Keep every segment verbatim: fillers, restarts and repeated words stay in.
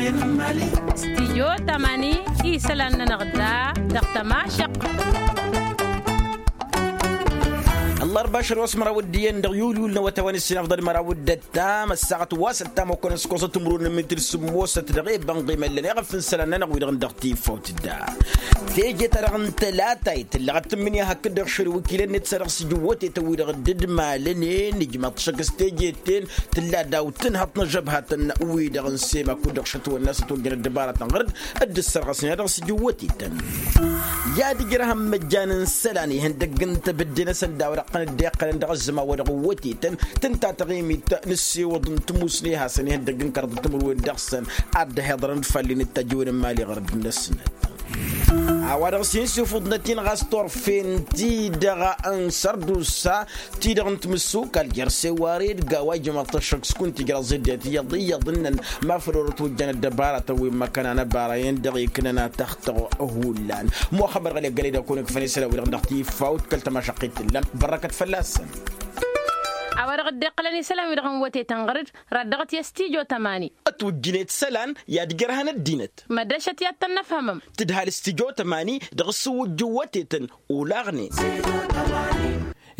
Stijyo tamani isălan-nănăɣ da dăɣ-tămašăq. Ăllarba ašăl wa s-măraw d-iyyăn dăɣ-yulyul n-awătay wa n-ǝssin afḍăl măraw d-ăttam ăssaɣăt wa s-ăttam okănăs kosăt timǝrwen n-mitil sǝmmosăt dăɣ-e-bănɣimăllăn iɣăf n-isălan-nănăɣ wi-dăɣ n-dăɣ-tifawt da. Teje-ta-dăɣ n-tălatayt tǝllăɣăt tǝmmǝnǝya hakd-dăɣ šăl iwǝkilăn-net s-ad-dăɣ-s ija iwwătetăn wi-dăɣ dd-malănen ijmăḍ-t šăkk s-teje-ten tǝlla daw-tǝnhăḍt n-ažăbhat n-wi-dăɣ n-sema kud-dăɣ šătwănna s-ătwăjjăn ăddăbaratăn ɣăr-dd ad-dd-ǝssărɣăsnen ad-dăɣ-s ija iwwătetăn. I-ad-ǝjrăhăn măjjan n-isălan ihăndăgg n-tebǝdde-năsăn d-a-wa dăɣ-tăn dd-iqqălăn dăɣ-ăzzăman wa dăɣ-iwwătetăn tǝnta taɣimit n-ǝssewăḍ n-tmusne hasăn-ihăndăgg n-kăraḍ timǝrwen dăɣ-săn ad-dd-ăhiḍărăn d-fallen d-tajǝwen n-imali ɣărăd-năsnăt. A-wa dăɣ-s hin-sifǝḍnăt-in ɣas turfen-ti-dăɣ n-sărdusa ti-dăɣ n-timǝssukal jer-seware d-gawa ijmăḍ-t ăššăk s-kunta ijraẓ-dd i-ad-iyyăḍ iyyăḍ ǝnnăn ma făl orăt wăjjan ăddăbaratăn wi n-măkkăna n-ăbara-en-dăɣ iknăn atăxtăɣ. Hullan muxămmăd ɣăli ăggălăy d-akăwăn ikfăn isălan-wi-dăɣ dăɣ-tifawt kăl-tamašăqqit tǝllan bărrăkăt fălla-săn. A-wa dăɣ-dd-iqqălăn isălan-wi-dăɣ n-wătetăn ɣăr-dd raddăɣăt i-ăstijo tămani. Ătwǝjjǝnet isălan i-ad-ǝjrăhăn ăddinăt. Mădrăšăt i-ad-tăn-năfhămăm. Tǝdhal s-tijo tămani dăɣ-s-ǝwwǝjjǝw wătetăn olaɣnen.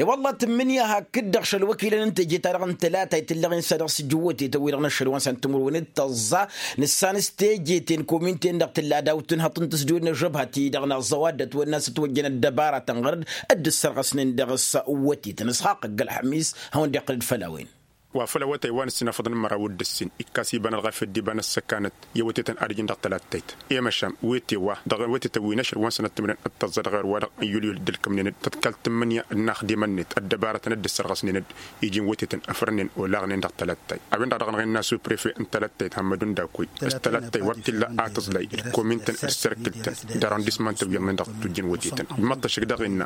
E-wălla tǝmmǝnǝya hakd-dăɣ šăl wăkilăn n-teje-ta-dăɣ n-tălatayt tǝllăɣen s-ad-dăɣ-s ǝjǝw wătetăn-wi-dăɣ n-ašăl wa n-săn timǝrwen d-tăẓẓa nǝssan s-teje-ten komin-ten-dăɣ tǝlla daw-tǝnhăḍt n-tǝsdǝwed n-ažăbha-ti-dăɣ n-aẓẓăw ad-dd-ătwănna s-ătwăjjăn ăddăbaratăn ɣăr-dd ad-dd-ǝssărɣăsnen dăɣ-s wătetăn ǝsxaqq ăgg-ălxămis. Hawăn-dd-iqqǝl-dd făll-a-wen. Wa făl awătay wa n-ǝssin afăḍăn măraw d-ǝssin ikkas iba n-ălɣafyăt d-iba n-ăssăkanăt i-awătetăn ad-ijǝn dăɣ-tălattayt i-măšan wi t-iwa dăɣ-awătetăn wi n-ašăl wa n-sănăt timǝrwen d-tăẓẓa dăɣ-ewăr wa-dăɣ n-yulyul dd-ǝlkǝmnen-dd tăḍkal tǝmmǝnǝya n-inaxdimăn-net ăddăbarătăn ad-dd-ăssărɣăsnen-dd iji n-wătetăn ăfrănnen olaɣnen dăɣ-tălattayt. A-wen-dăɣ a dăɣ-năɣ innă ăsupprefe n-tălattayt hămmădun dakoy s-tălattay wăr t-illa a tǝẓlay d-komintăn d-sărkǝltăn d-arrondisman tăwwiyăḍnen dăɣ-tǝtwǝjjăn wătetăn ǝmmăḍ-t ăššăk daɣ innă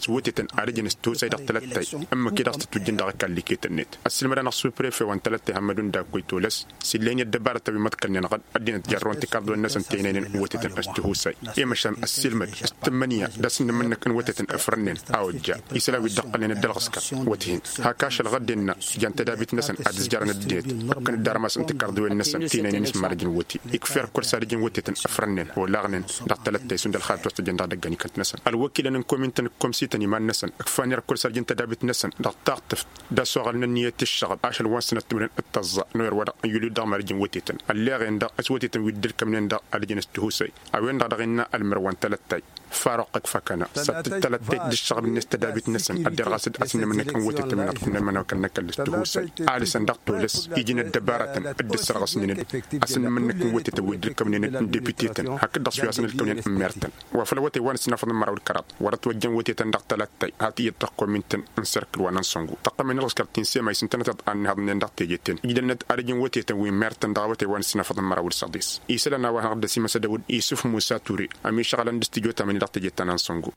s-wătetăn ad-ǝjǝn s-tosay dăɣ-tălattay ǝmmǝk-i-dăɣ s-tǝtwǝjjăn dăɣ-ăkall iket-net. Ăssiilmăd-anăɣ supprefe wa n-tălattay hămmădun dakoy tolăs s-illa hin-i ăddăbarăt a-wi măḍkălnen ɣad ăddinăt jarrăwăn tikarḍiwen-năsăn tăynăynen n-wătetăn s-tihusay. I-măšan ăssiilmăd s-tǝmmǝnǝya d-asǝnnǝm-năk n-wătetăn ăfrănnen a ojja isălan wi dd-ăqqălnen d-ălɣǝskăr wăt-hin hak ašăl ɣădden-năɣ jan tădabit-năsăn ad-ǝzjarăn ăddinăt ǝkkăn-dd armas n-tikarḍiwen-năsăn tăynăynen s-marăj n-wăte. Ikfa irkul s-ad-ǝjǝn wătetăn ăfrănnen olaɣnen dăɣ-talăttay šund ălxalat wa s-tăjjăn dăɣ-idăggan ikănt-năsăn ălwăkilăn n-komintăn d-komsităn iman-năsăn ǝkfan irkul s-ad-ǝjǝn tădabit-năsăn dăɣ-taɣtǝft d-asoɣăl n-ǝnniyăt i-ǝššăɣăb ašăl wa n-sănăt timǝrwen d-tăẓẓa n-oyăr wa dăɣ-n yulyu dăɣ-marăj n-wătetăn ălleɣen-dăɣ s-wătetăn wi dd-ǝlkămnen dăɣ-ad-ǝjǝn s-tihusay. A-wen-dăɣ dăɣ-innă ălmărwa n-talăttay faruq ăkfakăna s-ad-tǝjj talăttayt d-ǝššăɣăb-net tădabit-năsăn ad-derɣas d-asǝnnǝm-năk n-wătetăn-năk ǝnnăn imănokal n-ăkall s-tihusay. Alǝsăn dăɣ-tolăs iji n-ăddăbarătăn dd-ǝssărɣăsnen-dd asǝnnǝm-năk n-wătetăn wi dd-ǝlkămnen-dd n-depitetăn hakd-dăɣ s-wi hasăn-ǝlkămnen n-mertăn. Wa făl awătay wa n-ǝssin afăḍăn măraw d-kăraḍ wăr-ătwăjjăn wătetăn dăɣ-talăttay hat iyyăt dăɣ-komintăn n-serkǝl wa n-ansăngu tăqqămen ălɣǝskăr ti n-sema isǝntănăteḍ a ǝnnihăḍnen dăɣ-teje-ten. Ǝjdănnăt ad-ǝjǝn wătetăn wi n-mertăn dăɣ-awătay wa n-ǝssin afăḍăn măraw d-săḍis. Isălan a-wa hanăɣ-dd-ăsimăsădăw-dd isǝf musa ture ămišăɣălăn d-s-tijo tamani dăɣ-teje ta n-ansăngu.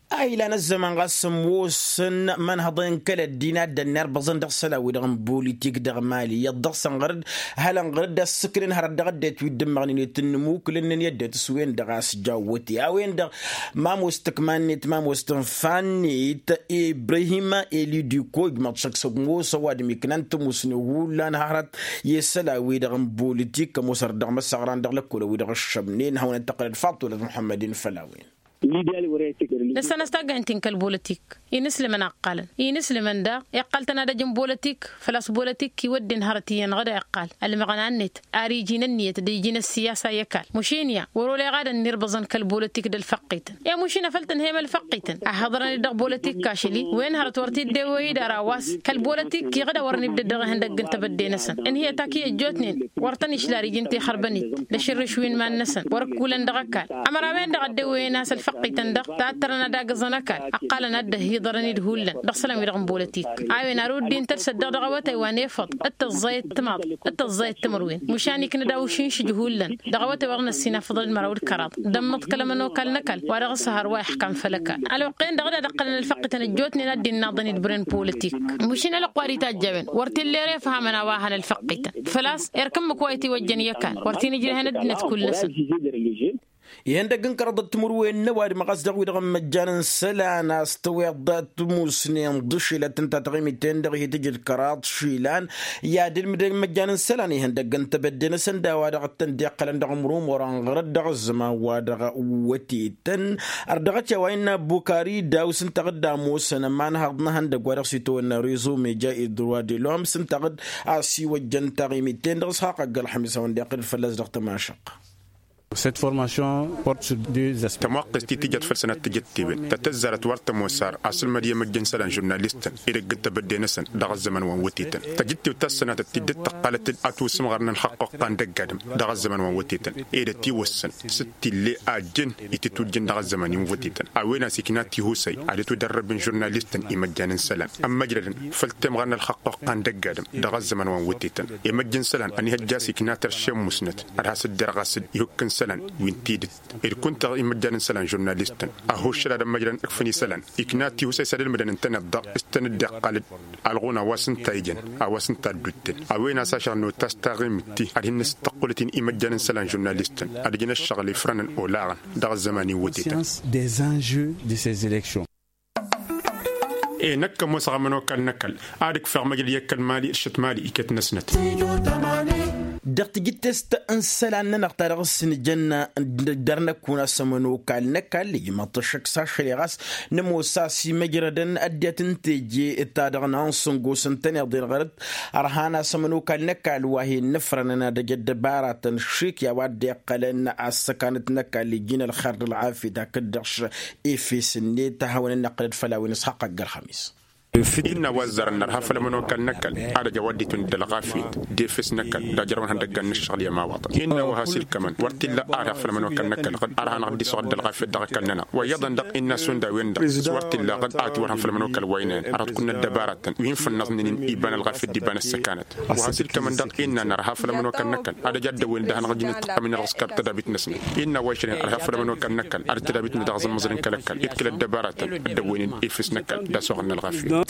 A ilan ăzzăman ɣas ămoosăn imănhăḍen kăl-ăddin a dd-ănnirbăẓăn dăɣ-isălan-wi-dăɣ n-politik dăɣ-mali iyyăḍ dăɣ-săn ɣăr-dd hălăn ɣăr-dd ăssǝknen hărăt dăɣ-ăddinăt wi dd-ǝmmăɣnen i-tǝnnǝmukǝlăn-năn i-ăddinăt s-wen-dăɣ a-s ǝjjaw wăte a-wen-dăɣ. Ma ămoos tǝkma-net ma ămoos tǝnfa-net ibrahim elidiko ijmăḍ šăkk s-ămoos ăwadǝm iknan tǝmusne hullan hărăt i-isălan-wi-dăɣ n-politik ămoos hărăt dăɣ-imăsăɣran dăɣ-lăkkolăn-wi-dăɣ ǝššămnen hawăn-dd-tăqqǝlăd faḍt tolăt muḥămmăd-in făll-a-wen. Nǝssan a-s taggayăn-t-in kăl-bolotik inǝslǝmăn a ǝqqalăn inǝslǝmăn daɣ iqqal-tăn ad-ăj n-bolotik. Făl-a-s bolotik iwădden hărăt iyyăn ɣǝd a iqqal ălmăɣna-net ar iji n-ǝnniyăt d-iji n-ăssiyasa i-ăkall mušin ya wăr-oleɣ ad-ănnirbăẓăn kăl-bolotik d-ălfăqqităn. I-mušin a făl tǝnhăyăm ălfăqqităn a hăḍrăn-dd dăɣ-bolotik ašăl-i wen hărăt wăr t-dd-ewăy idar a-wa s-kăl bolotik iɣǝd a wărăn ibdăd dăɣ-ihăndăgg n-tebădde-năsăn ǝnhǝyăt ak iyyăt ăjjootnen wăr tăn-išla ar iji n-tixărbănit d-ašǝrrǝš wi n-iman-năsăn wăr-ǝkkulăn dăɣ-ăkall. Ămăra a-wen-dăɣ a dd-ewăyăn a-s ălfăqqităn-dăɣ tattărăn ad-agǝẓăn ăkall ǝqqalăn a dd-ăhhiḍărăn-dd hullan dăɣ-isălan-wi-dăɣ n-bolotik. A-wen ar uddin tălsăt-dăɣ dăɣ-awătay wa n-efăḍ d-tăẓẓayăt timaḍ d-tăẓẓayăt timǝrwen mušan ikna d-awšǝnšǝj hullan dăɣ-awătay wa dăɣ-năssinafăḍăn d-măraw d-kăraḍ d-ămmăḍkăl ămănokal n-ăkall wa dăɣ-s ăhăr wa ixkam făll-ăkall. Ălwăqq-en-dăɣ d-ad-ăqqălăn ălfăqqităn ăjjootnen a dd-innaḍăn-dd bren politik mušin ălwăqq wa d-itajj a-wen wăr t-illa ere ăfhamăn a-wa hăn ălfăqqităn făl-a-s erk ǝmmǝk wa itiwăjjăn i-ăkall wăr t-in-ǝjrehăn ăddinăt kull-năsăn. Ihăndăgg n-kăraḍăt timǝrwen n-ăwadǝm ɣas dăɣ-wi-dăɣ n-imăjjan n-isălan a-s tăweḍ timusnen d-ašilăt ǝnta taɣimit-ten-dăɣ ihi tǝjǝd kăraḍ išilan. I-ad-ǝlmǝdăn imăjjan n-isălan ihăndăgg n-tebădde-năsăn d-a-wa dăɣ-tăn-dd-iqqălăn dăɣ-imrumăr ănɣărăt dăɣ-ăzzăman wa dăɣ-wătetăn. Ărdăɣăt i-a-wa innă bukari dawǝs ǝnta dd-ămoosăn ămanhăḍ n-ehăndăgg wa dăɣ-s itawănna rezo meja i-droit de l'homme s-ǝnta dd-asiwăjjăn taɣimit-ten-dăɣ s-haqq ăgg-ălxămis a-wen-dd-iqqǝl fălla-s dăɣ-tămašăq. Cette formation porte sur deux aspects. Tămoqqest-i tǝjăt făll-sănat tǝjăttewen ta tăzzarăt wăr tămoos ar asǝlmăd i-emăjj n-isălan žurnalistăn edăgg n-tebădde-năsăn dăɣ-ăzzăman wa n-wătetăn. Tăjǝttew ta s-sănatăt ti dd-tăqqalăt-dd ătwǝsǝmɣărăn ălxăqq oqqa n-dăgg-adǝm dăɣ-ăzzăman wa n-wătetăn. Ed ătiwăssăn s-t-ille a ăjjeen itǝtwǝjjǝn dăɣ-ăzzăman-i n-wătetăn a-wen a-s ikna tihusay ad-dd-tǝwǝdărrăb n-žurnalistăn imăjjan n-isălan ămmăjrădăn făll-temɣăr n-ălxăqq oqqa n-dăgg-adǝm dăɣ-ăzzăman wa n-wătetăn. Emăjj n-isălan ănihăjja a-s ikna tărše n-musnăt ad-has-dd-irɣas d-ihukk n-isălan wi n-tidǝt. Ed kunta imăjjan n-isălan žurnalistăn ăhhuššăl ad-ămmăjrăn ǝkfǝn isălan ikna tihusay s-ad-ǝlmǝdăn ǝntăneḍ-dăɣ s-tăn-dd-iqqal-dd alɣun a-wa s-ǝnta ijăn a-wa s-ǝnta ădduttǝl. A-wen a-s ašăɣ n-otas taɣimǝtti ad-hin-nǝsǝttăqqulăt-in imăjjan n-isălan žurnalistăn ad-ǝjǝn ăššăɣǝl ifrănăn olaɣăn dăɣ-ăzzăman-i n-wătetăn. Des enjeux de ces élections. E năkk ămoosăɣ ămănokal n-ăkall ad-ǝkfeɣ măjrăd i-ăkall mali d-šăt mali iket-năsnăt. Dăɣ-tijǝttest n-isălan-nănăɣ ta dăɣ-s nǝjăn dăr-năkk un-as ămănokal n-ăkall ijmăḍ-t ăššăk s-ašăl i-ɣas nămoos a-s imăjrădăn ăddinăt n-teje ta dăɣ-nănăɣ n-sǝngos ǝntăneḍ-en ɣărăt. Ărhan a-s ămănokal n-ăkall wa hin-nǝfrănăn ad-ăj ăddăbaratăn šik i-a-wa dd-iqqălăn a-s săkanăt n-ăkall iji n-ălxer d-ălɣafyăt hakd-dăɣ efes-net a hawăn-ănnăqqǝlăd făll-a-wen s-haqq ăgg-ălxămis. Innă wa ăzzarăn nărha făll-ămănokal n-ăkall ad-ăj a-wa dd-itwǝn d-ălɣafyăt d-efes n-ăkall d-ajrăwăn ihăndăggan n-ǝššăɣǝl i-ămawaḍăn. Innă wa has-ilkămăn wăr t-illa arha făll-ămănokal n-ăkall ɣǝd arha-năɣ dd-isɣăr d-ălɣafyăt dăɣ-ăkall-nănăɣ wa iyyăḍăn dăɣ-innă a-s hundăwen-dăɣ s-wăr t-illa ɣǝd a ătwărhăn făll-ămănokal wa inen arăt kunnăt dăbaratăn wi n-fănnăẓnen iba n-ălɣafyăt d-iba n-ăssăkanăt. Wa has-ilkămăn dăɣ-innă nărha făll-ămănokal n-ăkall ad-ăj ad-dăwwen-dd ad-hanăɣ-ǝjǝn ǝṭṭăqqăm-in-dăɣ s-kăb tădabit-năsnăt. Innă wa išănen ărha făll-ămănokal n-ăkall ad-dd-tădabit-năt dăɣ-aẓǝmmăẓ n-kăl-ăkall d-kăl-ăddăbaratăn dd-ăwwăynen efes n-ăkall d-asoɣăn n-ălɣafyăt.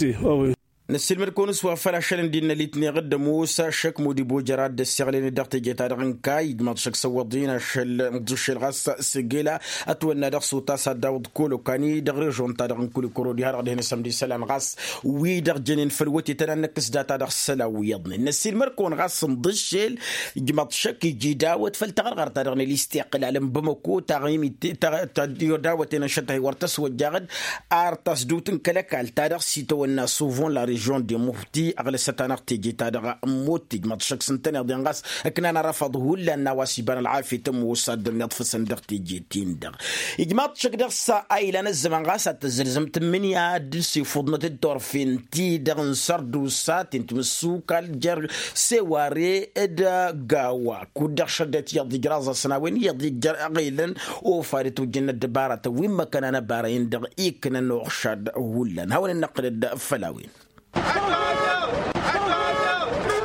Năssiilmăd-kăwăn s-wa făl ašăl n-dd-innă litneɣ d-ămoos ašăk mud-ibo jăr-ad-dd-ăssiɣlăyăn dăɣ-teje-ta-dăɣ n-kayy d-mad-šăk săwwăḍ-in ašăl n-tiššel ɣas s-gela ătwănna dăɣ-s utas ad-dawăḍ kăwăl-okani dăɣ-režon-ta-dăɣ n-kulikuro diha-dăɣ dihen-asăm d-isălan ɣas wi-dăɣ jănen făll-wătetăn ad-năkk s-data dăɣ-isălan wi iyyăḍnen năssiilmăd-kăwăn ɣas n-dd-aššel. Ijmăḍ šăkk iji dawăt făll-taɣărɣart-ta-dăɣ n-elisti iqqǝl alănbămăko taɣimit ta dawăt-en ănšăt-tahi wăr tăswăjjaɣ-dd ar tasdut n-kăl-ăkall ta dăɣ-s itawănna suvon la režion de mufti ăɣlăsăt-anăɣ teje-ta-dăɣ. Ămmut ijmăḍ šăkk s-ǝntăneḍ-en ɣas ǝknan arăfăḍ hullan n-a-wa s-iba n-ălɣafyăt ămoos ad-dd-ănniḍfǝsăn dăɣ-teje-tin-dăɣ. Ijmaḍ šăkk dăɣ-s a ilan ăzzăman ɣas ad-tăzzălzăm tǝmmǝnǝya d-ǝsifuḍnăt d-turfen-ti-dăɣ n-sărdusa ti n-timǝssukal jer-seware d-gawa kud-dăɣ šăddăt iyyăḍ ijraẓ-asăn a-wen iyyăḍ ijjăr aɣelăn. Ofa d-itwǝjjǝn ăddăbaratăn wi n-măkkăna n-ăbara-in-dăɣ iknăn uɣšad hullan hawăn-in-năqqǝlăd făll-a-wen.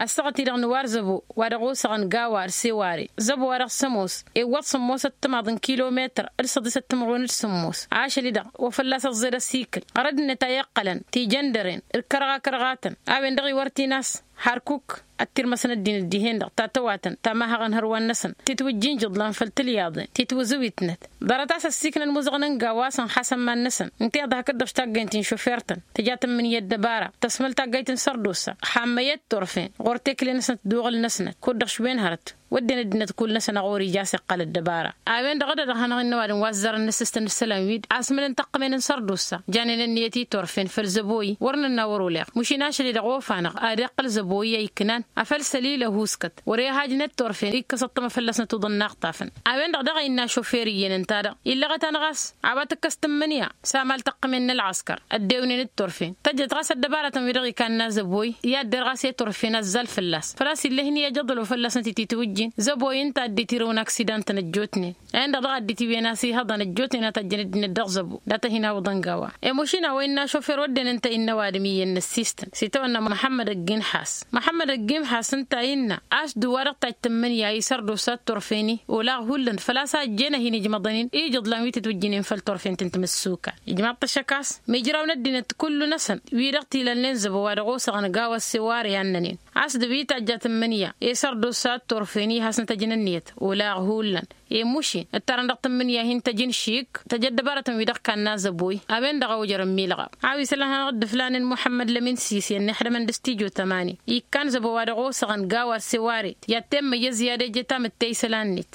Ăssaɣăt-i-dăɣ nǝwar zăbo wa dăɣ-osăɣăn gawa d-seware zăbo wa dăɣ-s ămoos iwwăḍ sǝmmosăt timaḍ n-kilometăr d-săḍisăt timǝrwen d-sǝmmos ašăl-i-dăɣ wa fălla-s ăẓẓed ăsikǝl ɣărăd-net a iqqălăn tijăndăren d-kărɣa-kărɣatăn. A-wen-dăɣ iwăr t-in-as harkuk ăttirmăsăn ăddinăt dihen-dăɣ ta tăwatăn ta mahăɣăn hărwan-năsăn titwǝjjin jǝḍlan făll-tilyaḍen titwǝzǝwitnăt. Ḍarăt a-s ăssiknăn imuzăɣăn n-gawa a-s ănxasăn iman-năsăn ǝnta iḍa hakd-dăɣ s-taggaynt n-išufirtăn tǝja tǝmmǝnǝya ăddăbara tăsmăl taggayt n-sărdusa. Xammăyăt turfen ɣur-tekle-năsnăt d-uɣǝl-năsnăt kud-dăɣ šwen hărăt wădden ăddinăt kull-năsăn a ɣur-ija a-s iqqal ăddăbara. A-wen-dăɣ a dăɣ-hanăɣ-innă ăwadǝm wa ăzzarăn n-asǝstăn d-isălan-wi-dd asmǝlăn taqqǝmen n-sărdusa janen ǝnniyăt i-turfen făll-zăboyi wăr nǝnna wăr-oleɣ mašin ašăl-i-dăɣ ofa-năɣ ad-iqqǝl zăboyi a iknan afăl săl-ilăhu s-kăt wăr-e hajnet turfen ikkăs ăṭṭămă fălla-snăt uḍăn n-aɣtafăn. A-wen-dăɣ daɣ a innă ašofer iyyăn ǝnta-dăɣ illăɣăt-anăɣ a-s a-wa tǝkkăs tǝmmǝnǝya s-amal tăqqǝmen n-ălɣăskăr ăddewnen d-turfen tăjjăt ɣas ăddăbaratăn-wi-dăɣ ikanna zăboy i-ad-der ɣas i-turfen ăzzal fălla-s făl-a-s ill'-e-hin i-ajăḍăl wa fălla-snăt ititwǝjjin zăboy ǝnta a dd-itirǝwăn aksidan-tăn ăjjootnen. A-en-dăɣ daɣ a dd-itiwǝyăn a-s ihăḍăn ăjjootnen a tajjăn ăddinăt dăɣ-zăbo data hin-awǝḍăn gawa. I-mašina wa innă ašofer wădden ǝnta innă ăwadǝm iyyăn n-ăssistăn s-itawănna muḥămmăd ăgg-inḥas. Muḥămmăd ăgg-inḥas ǝnta innă a-s dd-wa-dăɣ tajj tǝmmǝnǝya isărdusa d-turfen-i olaɣ hullan făl-a-s a ăjjeen a hin-ijmăḍăn-in ijǝḍlan wi tǝtwǝjjǝnen făll-turfen ti n-timǝssuka. Ijmaḍ-t ăššăk a-s mijraw n-ăddinăt kullu-năsăn wi-dăɣ t-ilalnen zăbo wa dăɣ-osăɣăn gawa ăsseware a ǝnnănen a-s dăɣ-wi tajja tǝmmǝnǝya isărdusa d-turfen-i. Ihasnăt ăjnăn-net olaɣ hullan. Emušin ǝttarăn dăɣ-tǝmmǝnǝya hin-tăjǝn šik tăjăt dăbarătăn wi-dăɣ kannă zăboy a-wen-dăɣ a ojărăn milɣa. A-wa isălan hanăɣ-dd-ǝflanen muḥămmăd lămin sise ănnixdămăn d-studyo tămani ikkan zăbo wa dăɣ-osăɣăn gawa s-eware. I-ad-temmăyyăz i-ad-eje tamǝtte isălan-net.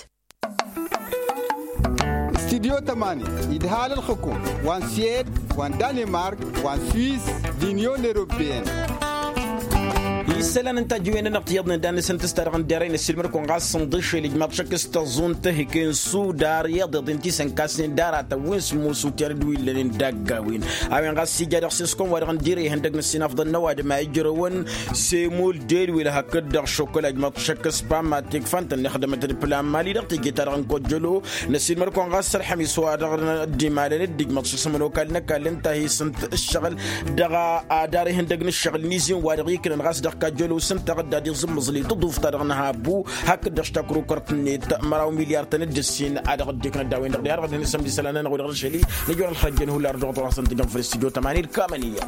Studyo tămani idhal ǝlxǝkum wa n-sued wa n-danemark wa n-suis d-inyon europeyăn. Isălan n-tajǝwen-nănăɣ tiyyăḍnen d-ad-nǝsǝntǝs ta dăɣ-n derăy năssiilmăd-kăwăn ɣas sǝnḍǝšel ijmaḍ šăkk s-tăẓunt tăhǝken sudar iyyăḍ iḍen ti sănkasnen d-aratăn wi n-sǝmmusutyan d-wi ǝllănen dagg-a-wen. A-wen ɣas ija dăɣ-s s-kăwăn wa dăɣ-n dire ihăndăg n-ăssinafḍăn n-ăwadǝm a ijrăwăn semul dedwil hakd-dăɣ šokăla ijmaḍ šăkk s-pamma tikfan tănnixdămăt d-plan mali dăɣ-teje-ta-dăɣ n-kojjălo. Năsiilmăd-kăwăn ɣas ălḥămis wa dăɣ-dd-imalăn dd-ijmăḍ šăsmăn okal n-ăkall ǝnta a hi-sǝnt ǝššăɣǝl dăɣ-adar ihăndăg n-ǝššăɣǝl n-izin wa dăɣ-iknăn ɣas dăɣ-kajjălo s-ǝnta a dd-ad-iẓǝmmǝẓlǝy tǝḍuft-ta-dăɣ n-ahabbu. Hakd-dăɣ s-takrukărt-net măraw milyar-tăn d-ǝssin a dăɣ-dd-iknăn d-a-wen-dăɣ d-iha dăɣ-dd-hin-sămdi isălan-nănăɣ wi-dăɣ n-ašăl-i nǝjor ălxărăjjăn hullan dăɣ-tăɣ-asăn tǝjăn făll-studyo tămani d-kamăniyya.